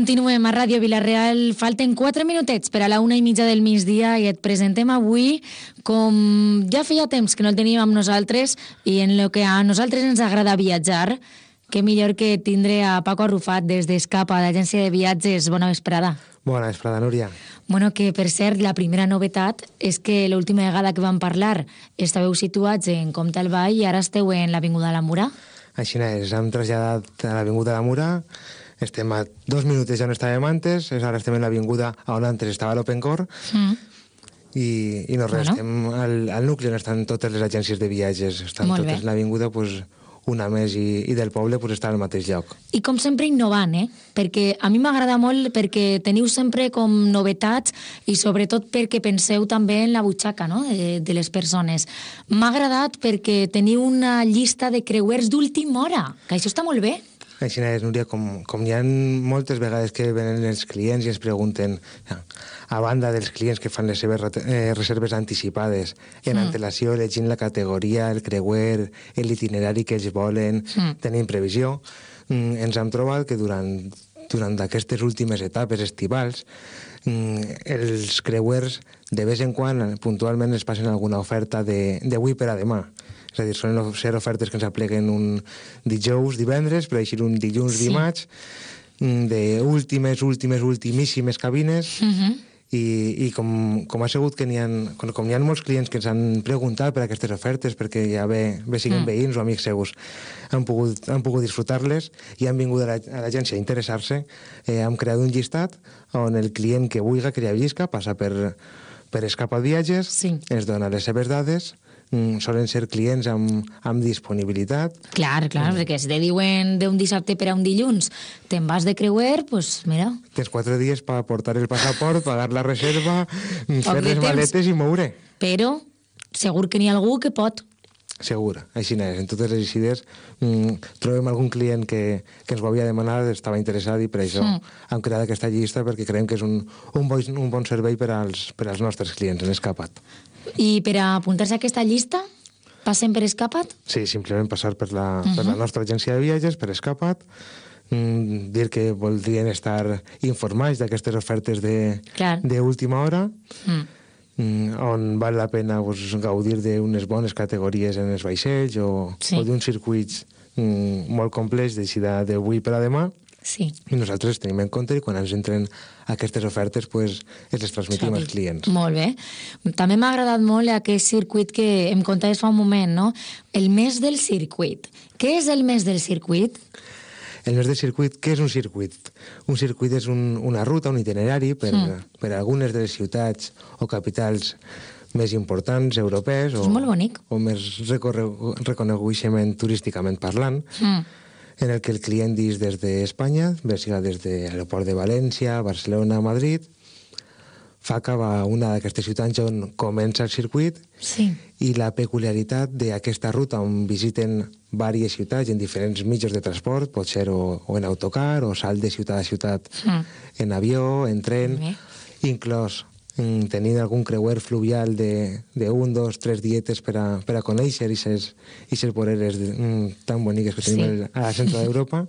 Continuem a Ràdio Vila-real. Falten 4 minutets per a la 1:30 del migdia i et presentem avui, com ja feia temps que no el teníem amb nosaltres i en el que a nosaltres ens agrada viatjar, que millor que tindre a Paco Arrufat des d'Escapa, d'Agència de Viatges. Bona vesprada. Bona vesprada, Núria. Bueno, que per cert, la primera novetat és que l'última vegada que vam parlar estàveu situats en Comte el Vall i ara esteu en l'Avinguda de la Mura. Així és, hem traslladat a l'Avinguda de la Mura, estem a 2 minuts ja on estàvem antes, ara estem en l'avinguda on antes estava l'Open Core, i no res, estem al nucli on estan totes les agències de viatges, estan totes en l'avinguda, una més i del poble està al mateix lloc. I com sempre innovant, perquè a mi m'agrada molt perquè teniu sempre com novetats i sobretot perquè penseu també en la butxaca, no?, de les persones. M'ha agradat perquè teniu una llista de creuers d'última hora, que això està molt bé. Així és, Núria, com hi ha moltes vegades que venen els clients i ens pregunten, a banda dels clients que fan les seves reserves anticipades, en antelació, elegint la categoria, el creuer, l'itinerari que ells volen, tenint previsió, ens hem trobat que durant aquestes últimes etapes estivals, els creuers, de vez en quan, puntualment, es passen alguna oferta d'avui per a demà. És a dir, solen ser ofertes que ens apleguen un dijous, divendres, per així un dilluns, dimarts, d'ultimíssimes cabines, i com ha sigut que n'hi ha molts clients que ens han preguntat per aquestes ofertes, perquè ja bé siguin veïns o amics seus, han pogut disfrutar-les i han vingut a l'agència a interessar-se, hem creat un llistat on el client que vulgui, que li avisca, passa per Escapa Viatges, ens dona les seves dades, solen ser clients amb disponibilitat. Clar, perquè si te diuen d'un dissabte per a un dilluns te'n vas de creuer, doncs mira. Tens 4 dies per portar el passaport, pagar la reserva, fer les maletes i moure. Però segur que n'hi ha algú que pot. Segur, així és. En totes les incides trobem algun client que ens ho havia demanat, estava interessat i per això hem creat aquesta llista perquè creiem que és un bon servei per als nostres clients en Escapat. I per a apuntar-se a aquesta llista, passen per Escapat? Sí, simplement passar per la nostra agència de viatges, per Escapat, dir que voldrien estar informats d'aquestes ofertes d'última hora, on val la pena gaudir d'unes bones categories en els vaixells o d'uns circuits molt complets d'avui per a demà. Sí. I nosaltres tenim en compte i quan ens entren aquestes ofertes ens les transmetim als clients. Molt bé. També m'ha agradat molt aquest circuit que em contaves fa un moment, no? El mes del circuit. Què és el mes del circuit? El mes del circuit, què és un circuit? Un circuit és una ruta, un itinerari per algunes de les ciutats o capitals més importants europees o més reconegueixement turísticament parlant, en el que el client dis des d'Espanya, bé siga des de l'aeroport de València, Barcelona, Madrid, fa cap a una d'aquestes ciutats on comença el circuit i la peculiaritat d'aquesta ruta on visiten diverses ciutats en diferents mitjans de transport, pot ser o en autocar o salt de ciutat a ciutat en avió, en tren, inclòs tenint algun creuer fluvial d'un, 2, 3 dietes per a conèixer aquestes voreres tan boniques que tenim al centre d'Europa,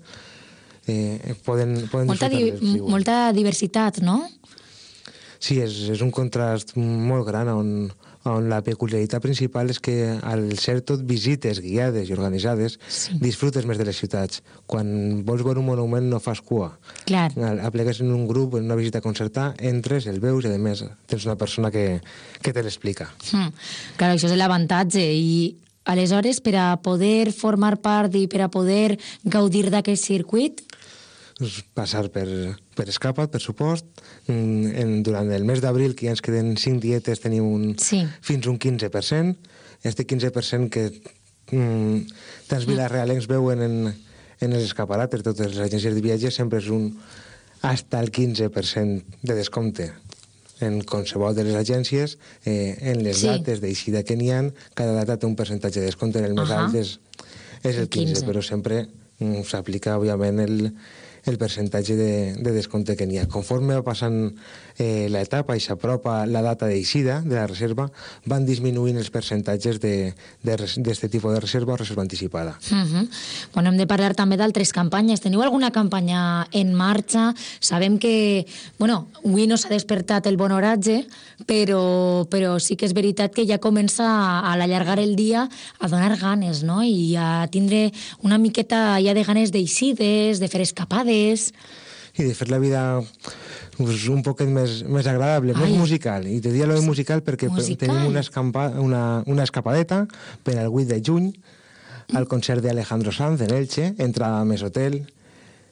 poden disfrutar-les. Molta diversitat, no? Sí, és un contrast molt gran on la peculiaritat principal és que al ser tot visites guiades i organitzades disfrutes més de les ciutats. Quan vols veure un monument no fas cua. Clar. Aplegues en un grup, en una visita concertada, entres, el veus i a més tens una persona que te l'explica. Clar, això és l'avantatge i aleshores per a poder formar part i per a poder gaudir d'aquest circuit passar per Escapat, per supost. Durant el mes d'abril, que ja ens queden 5 dietes, tenim fins un 15%. Este 15% que tants vilarealencs veuen en els escaparates, totes les agències de viatges, sempre és hasta el 15% de descompte. En qualsevol de les agències, en les dates d'eixida que n'hi ha, cada data té un percentatge de descompte. En el més alt és el 15%, però sempre s'aplica, òbviament, el percentatge de descompte que n'hi ha. Conforme va passant l'etapa i s'apropa la data d'eixida de la reserva, van disminuint els percentatges d'aquest tipus de reserva o reserva anticipada. Bueno, hem de parlar també d'altres campanyes. Teniu alguna campanya en marxa? Sabem que, avui no s'ha despertat el bon oratge, però sí que és veritat que ja comença a allargar el dia a donar ganes, no? I a tindre una miqueta ja de ganes d'eixides, de fer escapades. I de fer la vida un poquet més agradable, més musical. I te dia lo de musical perquè tenim una escapadeta per al 8 de juny al concert d'Alejandro Sanz en Elche, entrada més hotel,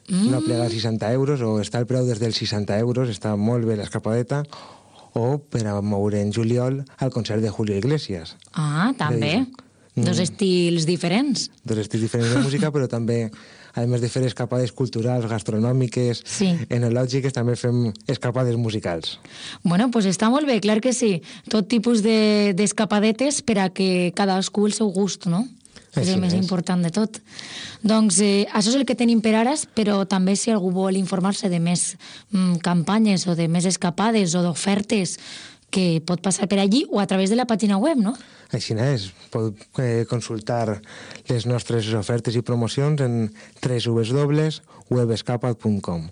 no plega 60 euros, o està el preu des dels 60 euros, està molt bé l'escapadeta, o per a moure en juliol al concert de Julio Iglesias. Ah, també. Dos estils diferents. Dos estils diferents de música, però també, a més de fer escapades culturals, gastronòmiques, enològiques, també fem escapades musicals. Bueno, pues està molt bé, clar que sí. Tot tipus d'escapadetes per a que cadascú el seu gust, no? És el més important de tot. Doncs això és el que tenim per ara, però també si algú vol informar-se de més campanyes o de més escapades o d'ofertes, que pot passar per allí o a través de la pàgina web, no? Així és. Pot consultar les nostres ofertes i promocions en www.webescapat.com.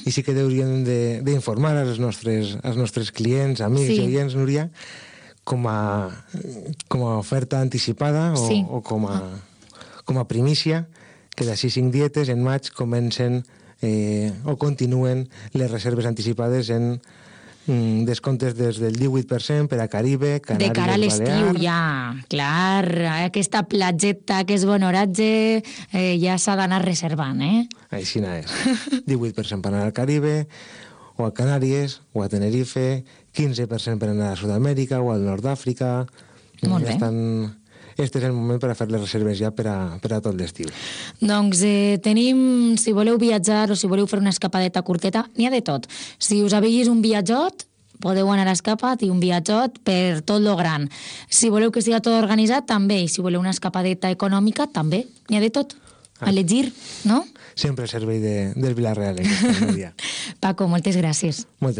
I sí que hauríem d'informar als nostres clients, amics i oients, Núria, com a oferta anticipada o com a primícia, que d'ací 5 dietes en maig comencen o continuen les reserves anticipades en descomptes des del 18% per a Caribe, Canàries, Balears... De cara a l'estiu, ja, clar, aquesta platgeta que és bon oratge ja s'ha d'anar reservant, Així és. 18% per anar al Caribe, o a Canàries, o a Tenerife, 15% per anar a Sud-amèrica o al Nord d'Àfrica. Molt bé. Este és el moment per a fer les reserves ja per a tot l'estiu. Doncs tenim, si voleu viatjar o si voleu fer una escapadeta curteta, n'hi ha de tot. Si us aveis un viatjot, podeu anar a Escapat i un viatjot per tot lo gran. Si voleu que siga tot organitzat, també. I si voleu una escapadeta econòmica, també. N'hi ha de tot. A elegir, no? Sempre el servei del Vila-real. Paco, moltes gràcies. Moltes gràcies.